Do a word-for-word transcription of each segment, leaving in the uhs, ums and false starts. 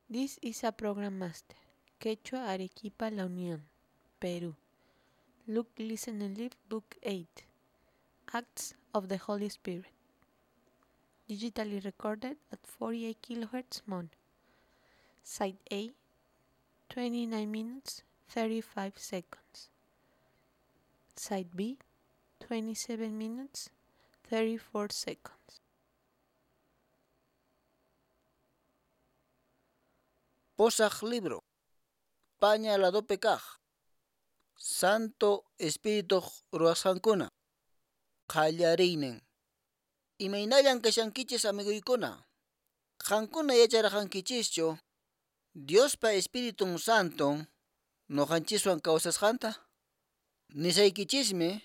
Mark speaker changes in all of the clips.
Speaker 1: This is a program master. Quechua Arequipa La Unión, Peru. Look, Listen and Live, Book eight. Acts of the Holy Spirit. Digitally recorded at forty-eight kilohertz mono. Side A, twenty-nine minutes, thirty-five seconds. Side B, twenty-seven minutes, thirty-four seconds.
Speaker 2: Posaj libro, paña ladope kaj, Santo Espíritu ruwasqankuna, qallariynin. Imaynallan kashankichis amiguykuna, qankuna yacharqankichischu Diospa Espiritun Santon noqanchiswan kawsasqanta? Nisaykichismi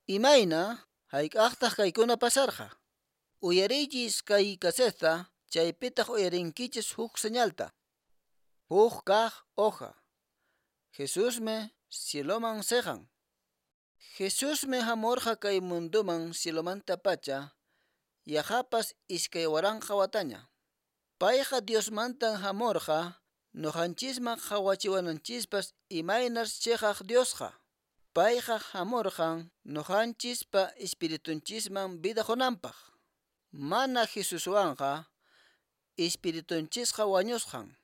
Speaker 2: imayna hayk'aqtaq kaykuna pasarqa. Uyariychis kay caseta, chaypitaq uyarinkichis huk señalta. Huk kaq hoja. Jesusmi cieloman siqan. Jesusmi hamurqa kay munduman cielomanta pacha, yaqapas iskay waranqa wataña. Payqa Diosmantan hamurqa noqanchisman qhawachiwananchispas imaynas chiqaq Diosqa. Payqa hamurqan noqanchispa espiritunchisman vida qunanpaq. Mana Jesuswanqa espiritunchisqa wañusqan.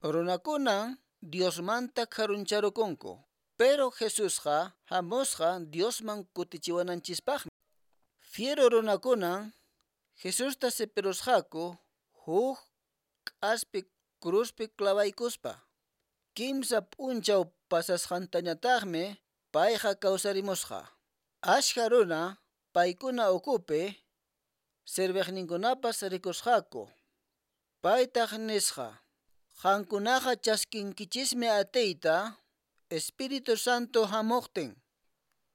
Speaker 2: Runakunan Diosmanta karuncharukunku, pero Jesusqa hamusqa Diosman kutichiwananchispaqmi. Fiero runakunan Jesusta sipirusqaku huk k'aspi cruzpi clavaykuspa. Kimsa p'unchaw pasasqantañataqmi payqa kawsarimusqa. Ashka runa paykuna ukupi serviqninkunapas rikusqaku. Paytaq nisqa: Qankunaqa chaskinkichismi atiyta Espíritu Santo hamuqtin.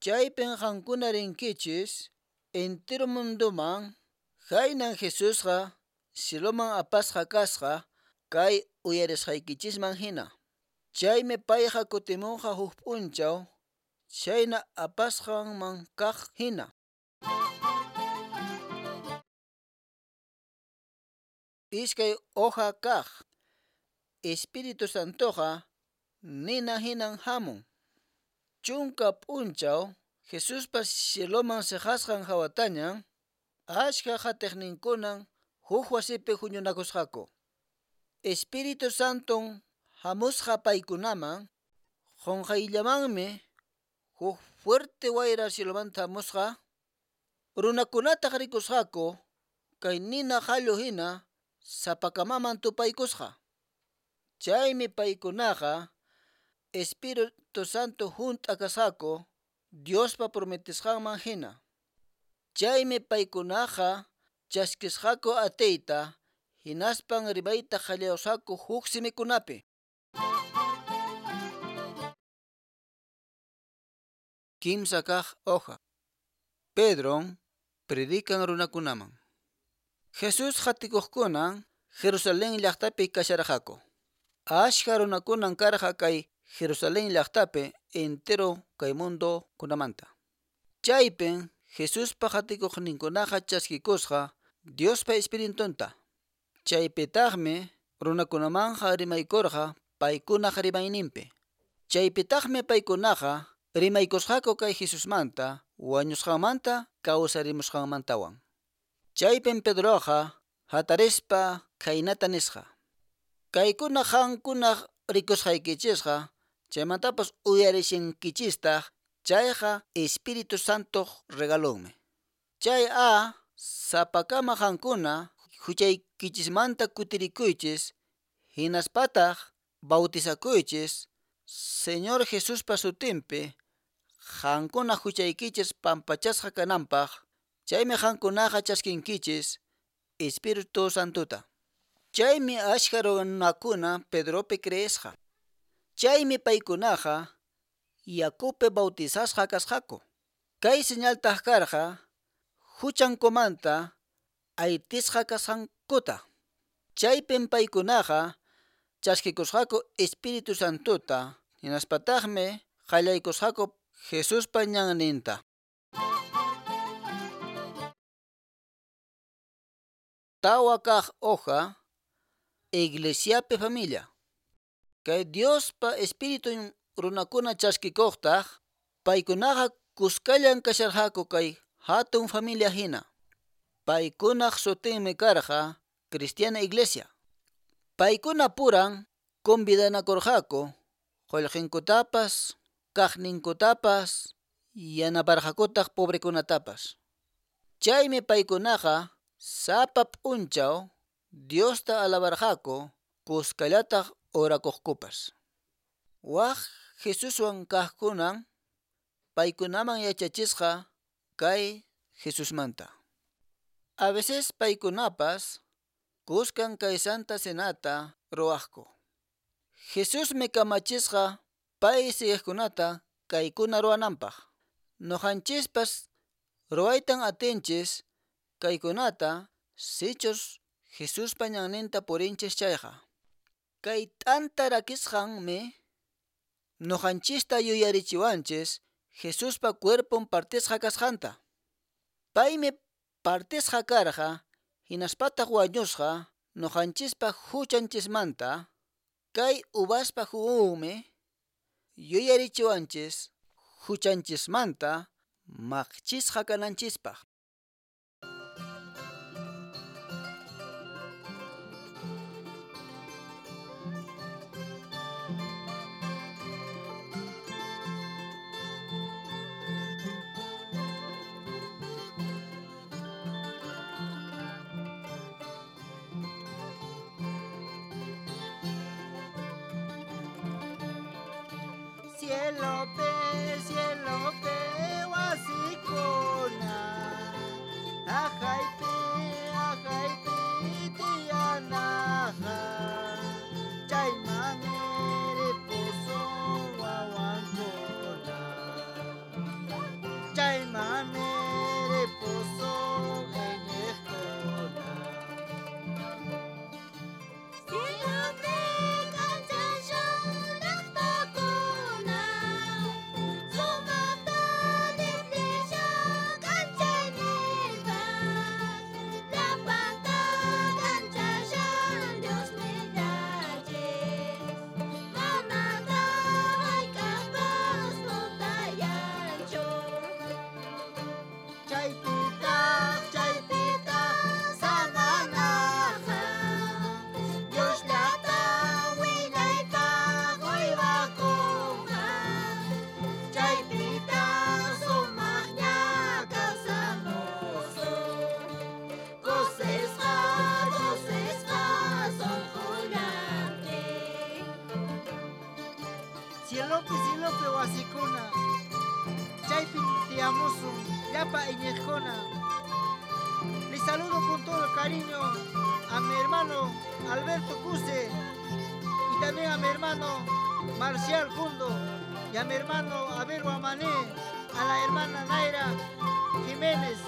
Speaker 2: Chaypin qankuna rinkichis entero munduman. Khaynan Jesusqa cieloman apasqa kasqa kay uyarisqaykichisman hina. Chaymi payqa kutimunqa huk p'unchaw chayna apasqanman kaq hina. Iskay hoja kaq. Espíritu Santoqa nina hinan hamun. Chunka p'unchaw Jesuspa cieloman siqasqan hawatañan ashka qatiqninkunan huk wasipi huñunakusqaku. Espíritu Santon hamusqa paykunaman qunqayllamanmi huk fuerte wayra cielomanta hamusqa. Runakunataq rikusqaku kay nina qallu hina sapakamaman tupaykusqa. Chaymi paykunaqa Espíritu Santo hunt'a kasqaku Diospa prometisqanman hina. Chaymi paykunaqa chaskisqaku atiyta hinaspan rimayta qallayusqaku huk simikunapi. Kimsa kaq hoja. Pedron predican runakunaman. Jesús qatikuqkunan Jerusalén llaqtapi kasharqaku. Ashka runakunan karqa kay Jerusalén llaqtapi entero kay mundo kunamanta. Chaypin Jesuspa qatikuqninkunaqa chaskikusqa Diospa Espiritunta. Chaypitaqmi runakunamanqa rimaykurqa paykunaq rimayninpi. Chaypitaqmi paykunaqa rimaykusqaku kay Jesusmanta, wañusqanmanta, kawsarimusqanmantawan. Chaypin Pedroqa hatarispa khaynata nisqa: Kaykuna qankuna rikusqaykichisqa, chaymantapas uyarishinkichistaq, chayqa Espíritu Santoq regalonmi. Chay a sapakama qankuna huchaykichismanta kutirikuychis, hinaspataq bautizakuychis Señor Jesuspa sutinpi, qankuna huchaykichis pampachasqa kananpaq, chaymi qankunaqa chaskinkichis Espíritu Santota. Chaymi ashka runakuna Pedropi creesqa. Chaymi paykunaqa yakupi bautizasqa kasqaku. Kay señaltaq karqa huchankumanta aytisqa kasqankuta. Chaypin paykunaqa chaskikusqaku Espíritu Santota, hinaspataqmi qallaykusqaku Jesuspa ñanninta. Tawa kaq hoja. Iglesiapi familia. Kay Diospa Espiritun runakuna chaskikuqtaq, paykunaqa kuskallan kasharqaku kay hatun familia hina. Paykunaq sutinmi karqa Cristiana Iglesia. Paykuna puran convidanakurqaku, qullqinkutapas, kaqninkutapas, yanaparqakutaq pobrekunatapas. Chaymi paykunaqa sapa p'unchaw Diosta alabarqaku, kuskallataq orakuqkupas. Waq Jesuswan kaqkunan paykunaman yachachisqa kay Jesusmanta. A veces paykunapas kuskan kay Santa Cenata ruwaqku. Jesusmi kamachisqa pay siguiqkunata kaykuna ruwananpaq. Nuqanchispas ruwaytan atinchis kaykunata sichus Jesuspa ñanninta purinchis chayqa. Kay t'anta rakisqanmi nuqanchista yuyarichiwanchis Jesuspa cuerpon partisqa kasqanta. Paymi partisqa karqa hinaspataq wañusqa nuqanchispa huchanchismanta. Kay uvaspa jugunmi yuyarichiwanchis huchanchismanta maqchisqa kananchispaq.
Speaker 3: Cielo pe, cielo pe, wasikuna, ajaypi, ajaypi, tiyanaja, chaymanmi ripusun wawankuna, chaymanmi ripusun iñiqkuna.
Speaker 4: Cielo pe, k'anchashan llaqtakuna, sumaqta lliplishan k'anchayninpas, llapanta k'anchashan Diosnillanchis, manataq hayk'aqpas tutayanchu.
Speaker 3: Chaypitaq, chaypitaq samanaqa, Diosllata wiñaypaq uywakunqa, chaypitaq sumaqña kawsamusun, kusisqa, kusisqa sunqullantin. Cielopi, cielopi wasikuna, chaypin tiyamusun llapa iñiqkuna. Les saludo con todo el cariño a mi hermano Alberto Cuse y también a mi hermano Marcial Cundo y a mi hermano Abel Guamané, a la hermana Naira Jiménez.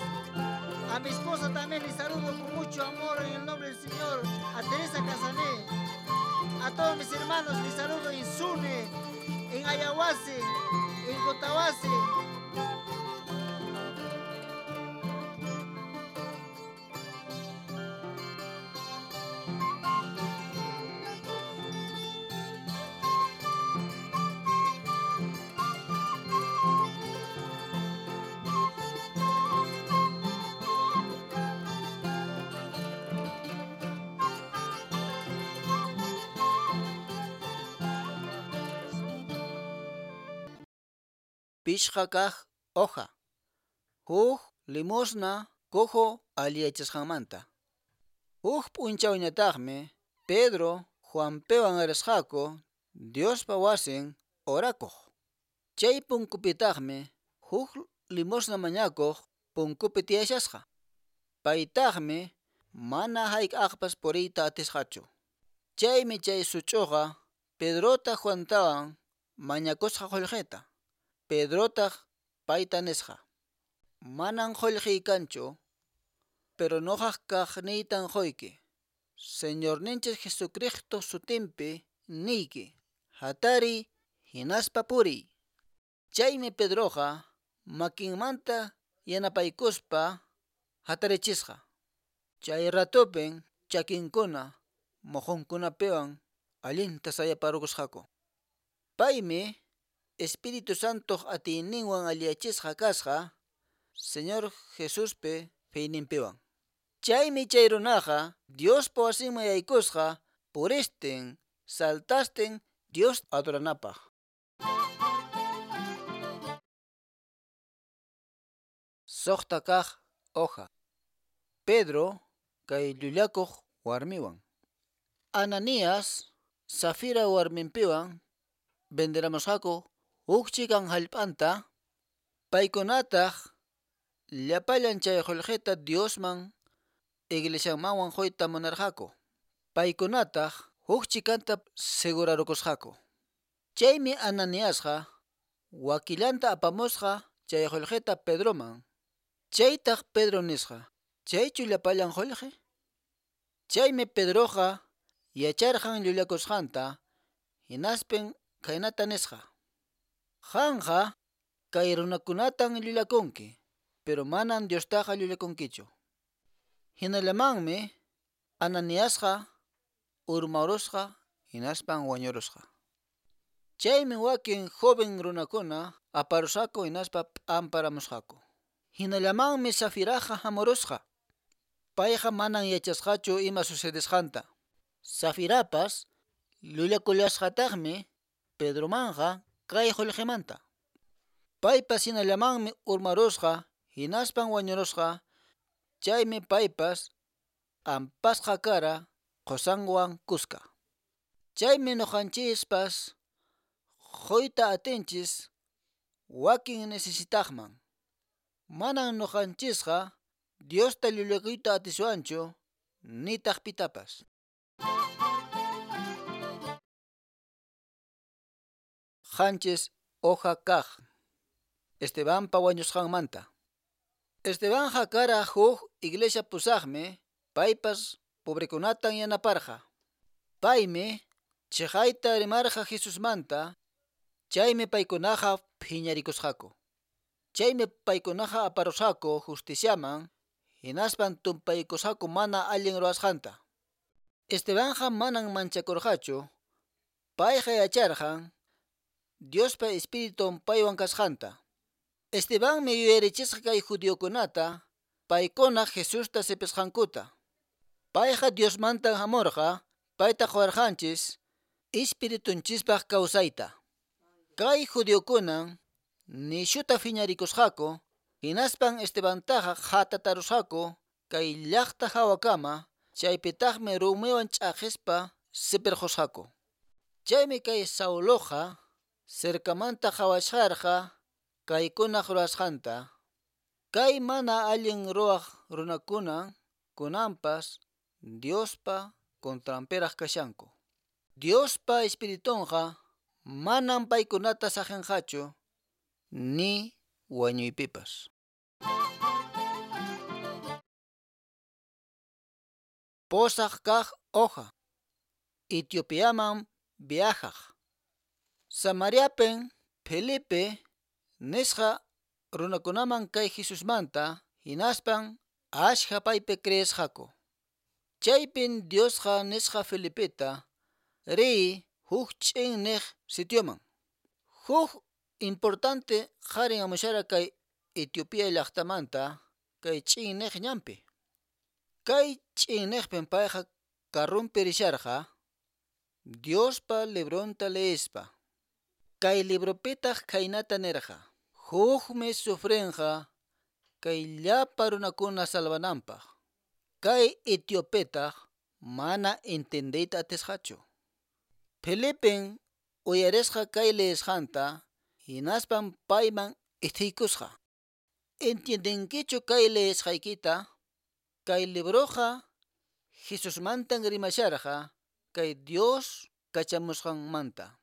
Speaker 3: A mi esposa también les saludo con mucho amor en el nombre del Señor, a Teresa Casané. A todos mis hermanos les saludo en Sune, en Ayahuase, en Cotahuase.
Speaker 2: Pishqa kaq hoja. Huk limosna cojo alliyachisqanmanta. Huk p'unchawñataqmi Pedro Juanpiwan risqaku Diospa wasin orakuq. Chay punkupitaqmi huk limosna mañakuq punkupi tiyashasqa. Paytaqmi mana hayk'aqpas puriyta atisqachu. Chaymi chay such'uqa Pedrota Juantawan mañakusqa qullqita. Pedrotaq payta nisqa: Manan qullqiy kanchu, pero nuqaq kaqniytan quyki. Señorninchis Jesucristo sutinpi niyki, hatariy hinaspa puriy. Chaymi Pedroqa makinmanta yanapaykuspa hatarichisqa. Chay ratupin chakinkuna moqonkunapiwan allinta sayaparukusqaku. Paymi Espíritu Santoq atiyninwan alliyachisqa kasqa Señor Jesuspi feyninpiwan. Chaymi chay runaqa Diospa wasinman yaykusqa puristin, saltastin Dios adoranapaq. Suqta kaq hoja. Pedro kay llullakuq warmiwan. Ananías Safira warminpiwan venderamusqaku huk chikan hallp'anta, paykunataq llapallan chay qullqita Diosman iglesiamanwan quyta munarqaku. Paykunataq huk chikanta segurarukusqaku. Chaymi Ananiasqa wakillanta apamusqa chay qullqita Pedroman. Chaytaq Pedro nisqa, chaychu llapallan qullqi? Chaymi Pedroqa yacharqan llullakusqanta, hinaspin khaynata nisqa: Qanqa kay runakunatan llullakunki, pero manan Diostaqa llullakunkichu. Hinallamanmi Ananiasqa urmarusqa hinaspan wañurusqa. Chaymi wakin joven runakuna aparusqaku hinaspa p'amparamusqaku. Hinallamanmi Safiraqa hamurusqa. Payqa manan yachasqachu ima sucedesqanta. Safirapas llullakullasqataqmi Pedromanqa kay qullqimanta. Paypas hinallamanmi urmarusqa hinaspan wañurusqa. Chaymi paypas p'ampasqa kara qusanwan kuska. Chaymi ñuqanchispas quyta atinchis wakin necesitaqman. Manan ñuqanchisqa Diosta llullakuyta atiswanchu nitaq pitapas. Qanchis hoja kaq. Estebanpa wañusqanmanta. Estebanqa kara huk iglesia pusaqmi, paypas pobrekunatan yanaparqa. Paymi chiqayta rimarqa Jesusmanta, chaymi paykunaqa phiñarikusqaku. Chaymi paykunaqa aparusqaku justiciaman, hinaspan tumpaykusqaku mana allin ruwasqanta. Estebanqa manan manchakurqachu, payqa yacharqan Diospa Espiritun paywan kasqanta. Estebanmi yuyarichisqa kay judiokunata, paykuna Jesusta sipisqankuta. Payqa Diosmantan hamurqa, payta quwarqanchis Espiritunchispaq kawsayta. Kay judiokunan nishuta phiñarikusqaku, hinaspan Estebantaqa qhatatarusqaku kay llaqta hawakama, chaypitaqmi rumiwan ch'aqispa sipirqusqaku. Chaymi kay Sauloqa cercamanta qhawasharqa kaykunaq ruwasqanta. Kay mana allin ruwaq runakuna kunanpas Diospa contranpiraq kashanku. Diospa Espiritunqa manan paykunata saqinqachu ni wañuypipas. Pusaq kaq hoja. Etiopiaman viajaq. Samariapin Felipe nisqa runakunaman kay Jesusmanta hinaspan ashka paypi creesqaku. Chaypin Diosqa nisqa Felipeta riy huk ch'inniq sitioman. Huk importante qharin hamushara kay Etiopía llaqtamanta kay ch'inniq ñanpi. Kay ch'inniqpin payqa karrunpi risharqa Diospa libronta leespa. Kay libropitaq khaynata nirqa: Hukmi sufrinqa kay llapa runakuna salvananpaq. Kay etiopetaq mana entendeyta atisqachu. Felipen uyarisqa kay leesqanta hinaspan payman ithiykusqa. Entiendenkichu kay leesqaykita? Kay libroqa Jesusmantan rimasharqa kay Dios kachamusqanmanta.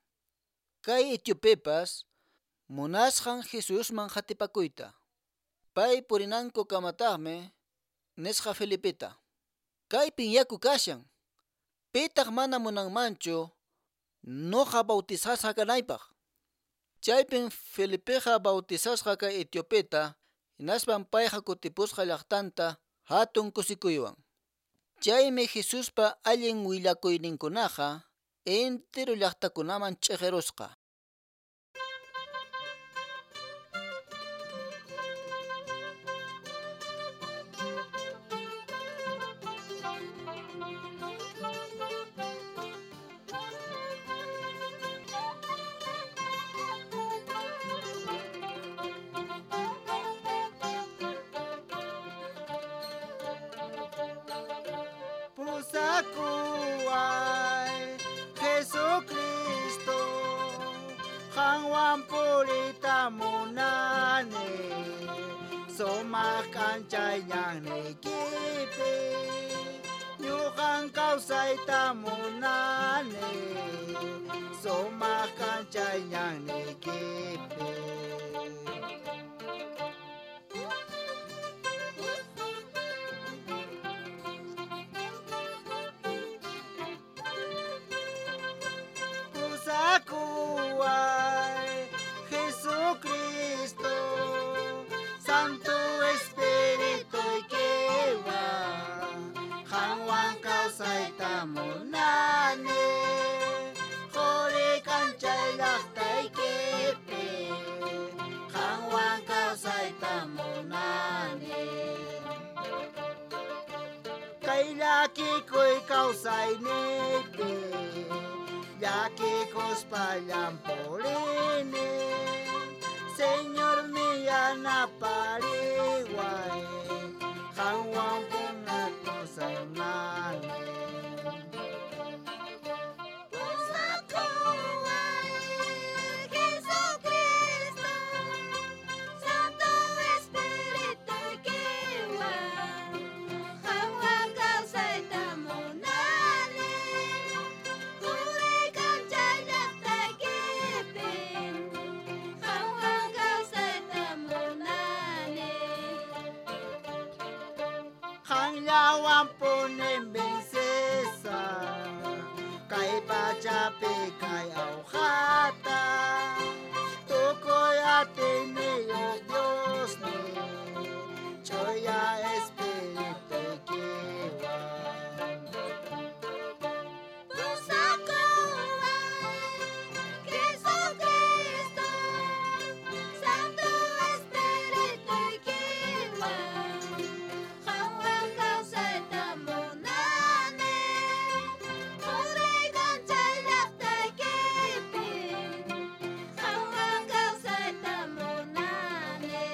Speaker 2: Kay etiopepas munasqan Jesusman qatipakuyta. Pay purinanku kamataqmi nisqa Felipeta: Kaypin yaku kashan, pitaq mana munanmanchu nuqa bautizasqa kanaypaq. Chaypin Felipeqa bautizasqa kay etiopeta, hinaspan payqa kutipusqa llaqtanta hatun kusikuywan. Chaymi Jesuspa allin willakuyninkunaqa entero llaqtakunaman ch'iqirusqa.
Speaker 3: Pusakuway Jesucristo, qanwan puriyta munani, sumaq k'anchay ñanniykipi, ñuqan kawsayta munani, sumaq k'anchay ñanniykipi. Pusakuway Jesucristo, Santo Espirituykiwan, qanwan kawsayta munani, quri k'anchay llaqtaykipi, qanwan kawsayta munani. Kay llakikuy kawsayniypi, llakikuspa purini, Señor yanapariway, qanwan punakusaqnani.
Speaker 4: Pusakuway Jesucristo, Santo Espirituykiwan, qanwan kawsayta munani, quri k'anchay llaqtaykipi, qanwan kawsayta munani.
Speaker 3: Qanllawan punin vencesaq, kay pachapi kay awqata, tukuy atiyniyuq Diosniy, ch'uya Espirituykiwan.
Speaker 4: Pusakuway Jesucristo, Santo Espirituykiwan, qanwan kawsayta munani, quri k'anchay llaqtaykipi, qanwan kawsayta munani.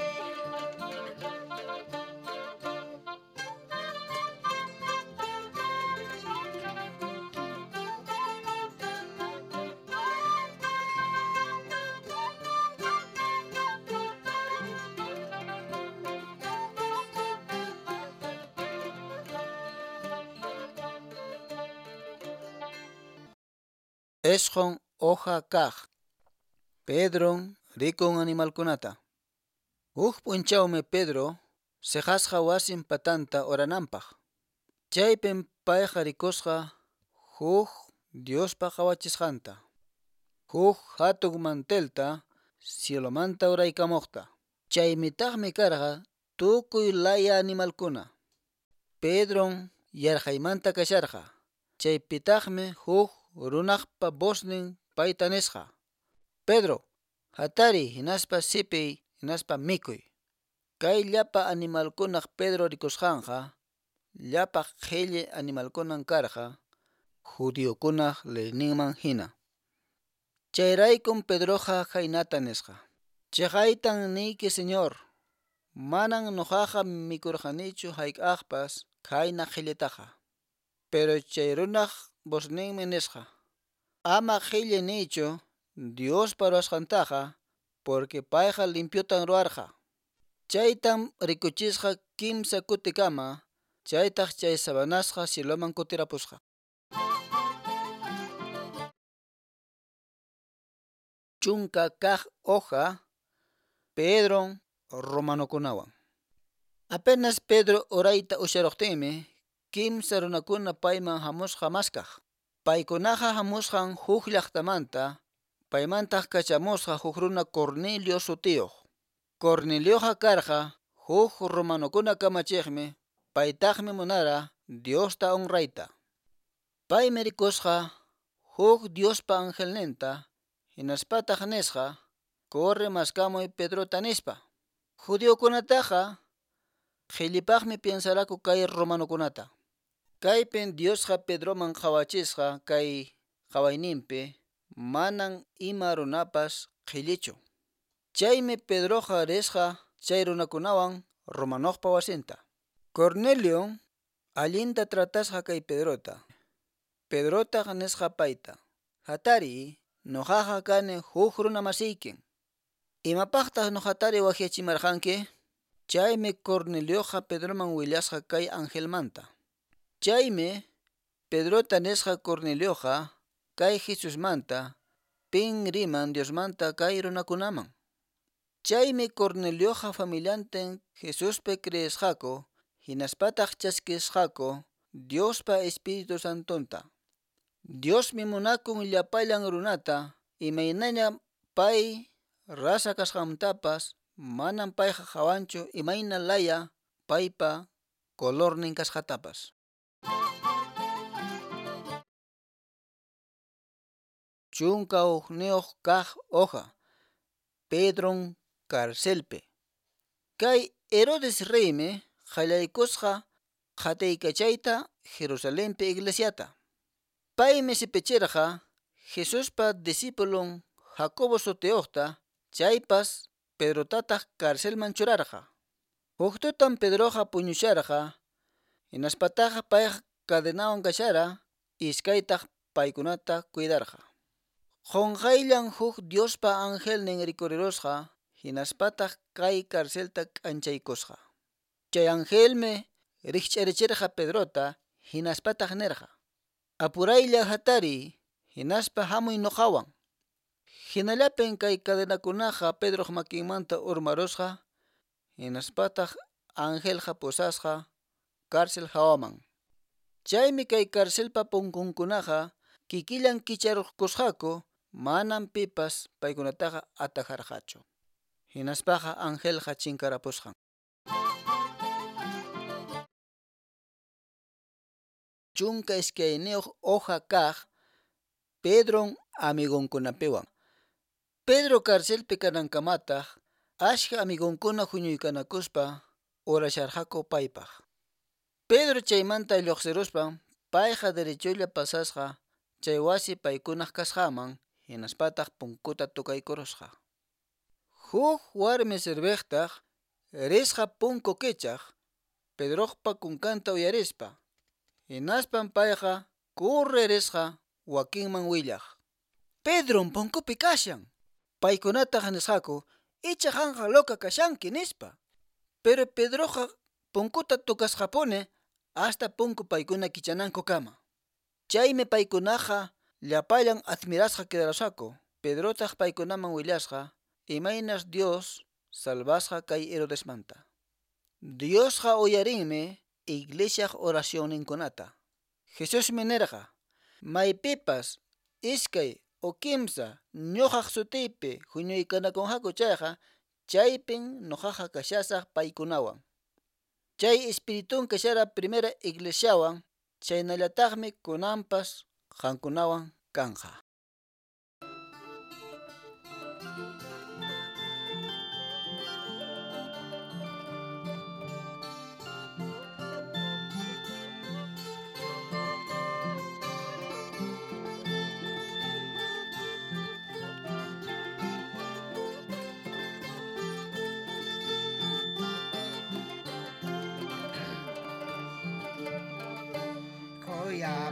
Speaker 2: Isqun hoja kaq. Pedron rikun animalkunata. Huk p'unchawmi Pedro siqasqa wasin patanta urananpaq. Chaypim payqa rikusqa huk Diospa qhawachisqanta, huk hatun mantelta cielomanta uraykamuqta. Chaymitaqmi karqa tukuy laya animalkuna. Pedron yarqaymanta kasharqa. Chaypitaqmi huk runaqpa voznin payta nisqa: Pedro, hatariy hinaspa sipiy hinaspa mikuy. Kay llapa animalkunaq Pedro rikusqanqa llapa qhilli animalkunan karqa judiokunaq leyninman hina. Chayraykum Pedroqa khaynata nisqa: Chiqaytan niyki Señor, manan nuqaqa mikurqanichu hayk'aqpas khayna qhillitaqa. Pero chay runaq vozninmi nisqa: Ama qhilli niychu Diospa ruwasqantaqa, porque payqa limpiotan ruwarqa. Chaytam rikuchisqa kimsa kutikama, chaytaq chay sabanasqa cieloman kutirapusqa. Chunka kaq hoja, Pedron romanokunawan. Apenas Pedro urayta usharuqtinmi, kimsa runakuna payman hamusqa maskaq. Paykunaqa hamusqan huk llaqtamanta, paymantaq kachamusqa huk runa Cornelio sutiyuq. Cornelioqa karqa huk romanokuna kamachiqmi, paytaqmi munara Diosta honrayta. Paymi rikusqa huk Diospa angelninta, hinaspataq nisqa, corre maskamuy Pedrota nispa. Judiokunataqa qhillipaqmi piensaraku kay romanokunata. Kaypin Diosqa Pedroman qhawachisqa kay qhawayninpi manan ima runapas qhillichu. Chaymi Pedroqa risqa chay runakunawan romanoqpa wasinta. Cornelio allinta tratasqa kay Pedrota. Pedrotaq nisqa payta: Hatari, nuqaqa kani huk runa masiykin. Imapaqtaq nuqatari waqyachimarqanki? Chaymi Cornelioqa Pedroman willasqa kay angelmanta. Chaymi Pedrota nisqa Cornelioqa kay Jesusmanta pin riman Diosmanta kay runakunaman. Chaymi Cornelioqa familiantin Jesuspi creesqaku hinaspataq chaskisqaku Diospa Espíritu Santonta. Diosmi munakun llapallan runata imaynaña pay rasa kasqantapas manam payqa qhawanchu imayna laya paypa colornin kasqatapas. Chunka hukniyuq kaq hoja, Pedron carcelpi. Kay Herodes reymi qallaykusqa qhatiykachayta Jerusalenpi iglesiata. Paymi sipichirqa Jesuspa discípulon Jacobo sutiyuqta, chaypas Pedrotataq carcelman churarqa. Huk tutan Pedroqa puñusharqa, hinaspataqa payqa cadenawan kashara, iskaytaq paykunata cuidarqa. Qunqayllan huk Diospa angelnin rikurirusqa, hinaspataq kay carcelta k'anchaykusqa. Chay angelmi rikch'arichirqa Pedrota, hinaspataq nirqa: Apuraylla hatariy, hinaspa hamuy nuqawan. Hinallapin kay cadenakunaqa Pedroq makinmanta urmarusqa, hinaspataq angelqa pusasqa cárcel hawaman. Chaymi kay carcelpa punkunkunaqa kikillan kicharukusqaku, manam pipas paykunataqa atajarqachu. Hinaspaqa angelqa chinkarapusqan. Chunka iskayniyuq hoja kaq, Pedron amigonkunapiwan. Pedro carcelpi kanankamataq achka amigonkuna huñuykanakuspa orasharqaku paypaq. Pedro chaymanta lluqsiruspan payqa derecholla pasasqa chay wasi paykunaq kasqaman, hinaspataq punkuta tukaykurusqa. Huk warmi serviqtaq risqa punku kichaq Pedroqpa kunkanta uyarispa. Hinaspan payqa kurri risqa wakinman willaq: Pedron punkupi kashan. Paykunataq nisqaku: Icha qanqa loca kashanki nispa. Pero Pedroqa punkuta tukasqapuni hasta punku paykuna kichanankukama. Chaymi paykunaqa llapallan admirasqa quedarusqaku. Pedrotaq paykunaman willasqa imaynas Dios salvasqa kay Herodesmanta. Diosqa uyarinmi iglesiaq oracionninkunata. Jesusmi nirqa: Maypipas iskay o kimsa ñuqaq sutiypi huñuykanakunqaku chayqa, chaypin ñuqaqa kashasaq paykunawan. Chay espiritun kashara primera iglesiawan, chaynallataqmi kunanpas qankunawan kanqa.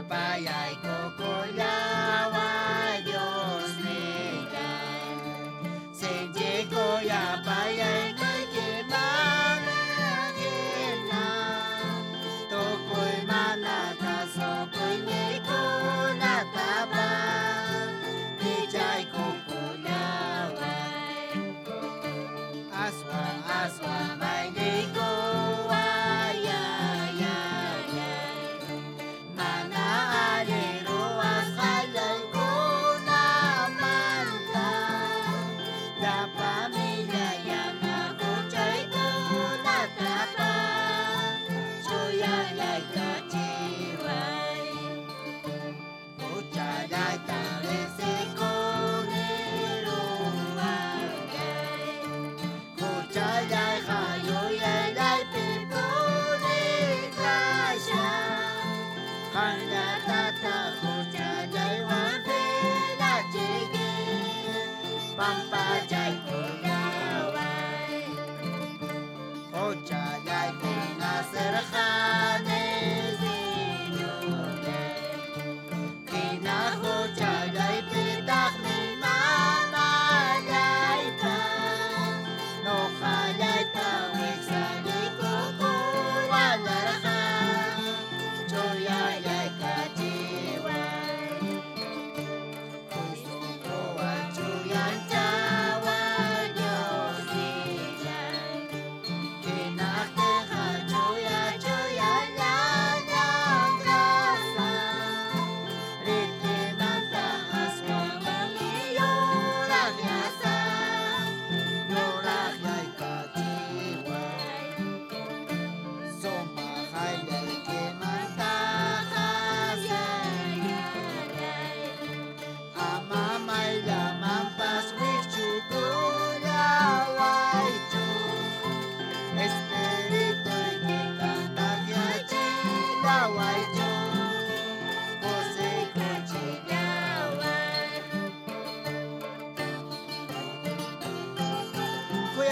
Speaker 4: Payay kukullawa Dios nillan, sinchi kuyapayay kaykimanahina, tukuy mana kasukuy nikunatapas, pichay kukullaway, aswan aswan maynikuway ay ay ay. Mana allin ruwasqaykimantapas.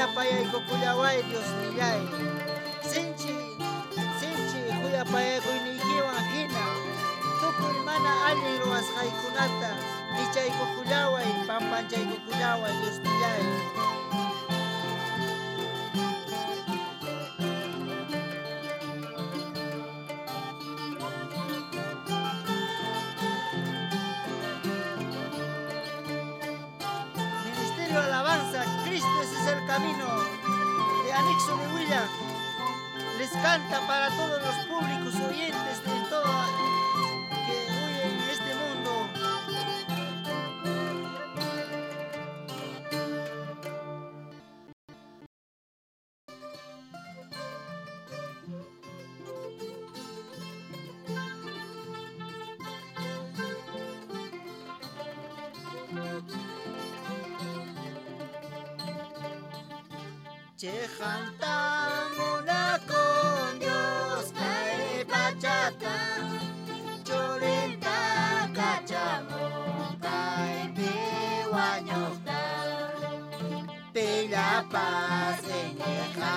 Speaker 3: Khuyapayaykukullaway Diosnillay. Sinchi, sinchi khuyapayakuynikiwan hina. Tukuy mana allin ruwasqaykunata pichaykukullaway, pampachaykukullaway Diosnillay. Ministerio Alabanza, Cristo ese es el camino, de Anexo de Huilla, les canta para todos los públicos oyentes de todo que oyen en este mundo. Chejantamuna con Dios kay pachata, churinta kachamun kay piwañuqta, pillapas iñiqa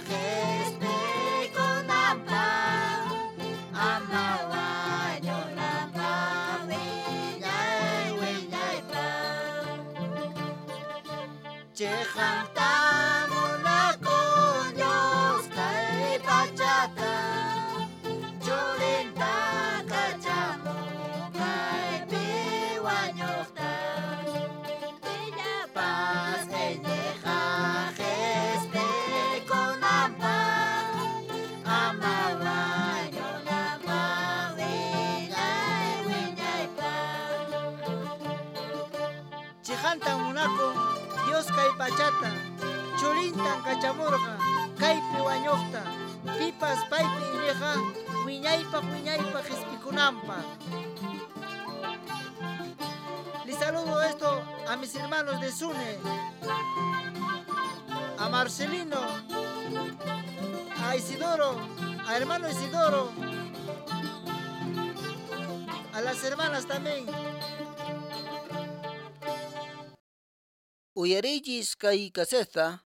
Speaker 3: qhispikunanpaq, ama wañunanpaq wiñay wiñaypaq. Chejanta Dios kay pachata, churintan kachamurqa, kaypi wañuqta, pipas paypi iñiqa, wiñaypaq wiñaypaq qhispikunanpaq. Les saludo esto a mis hermanos de Sune, a Marcelino, a Isidoro, a hermano Isidoro, a las hermanas también.
Speaker 2: Uyariychis kay kaseta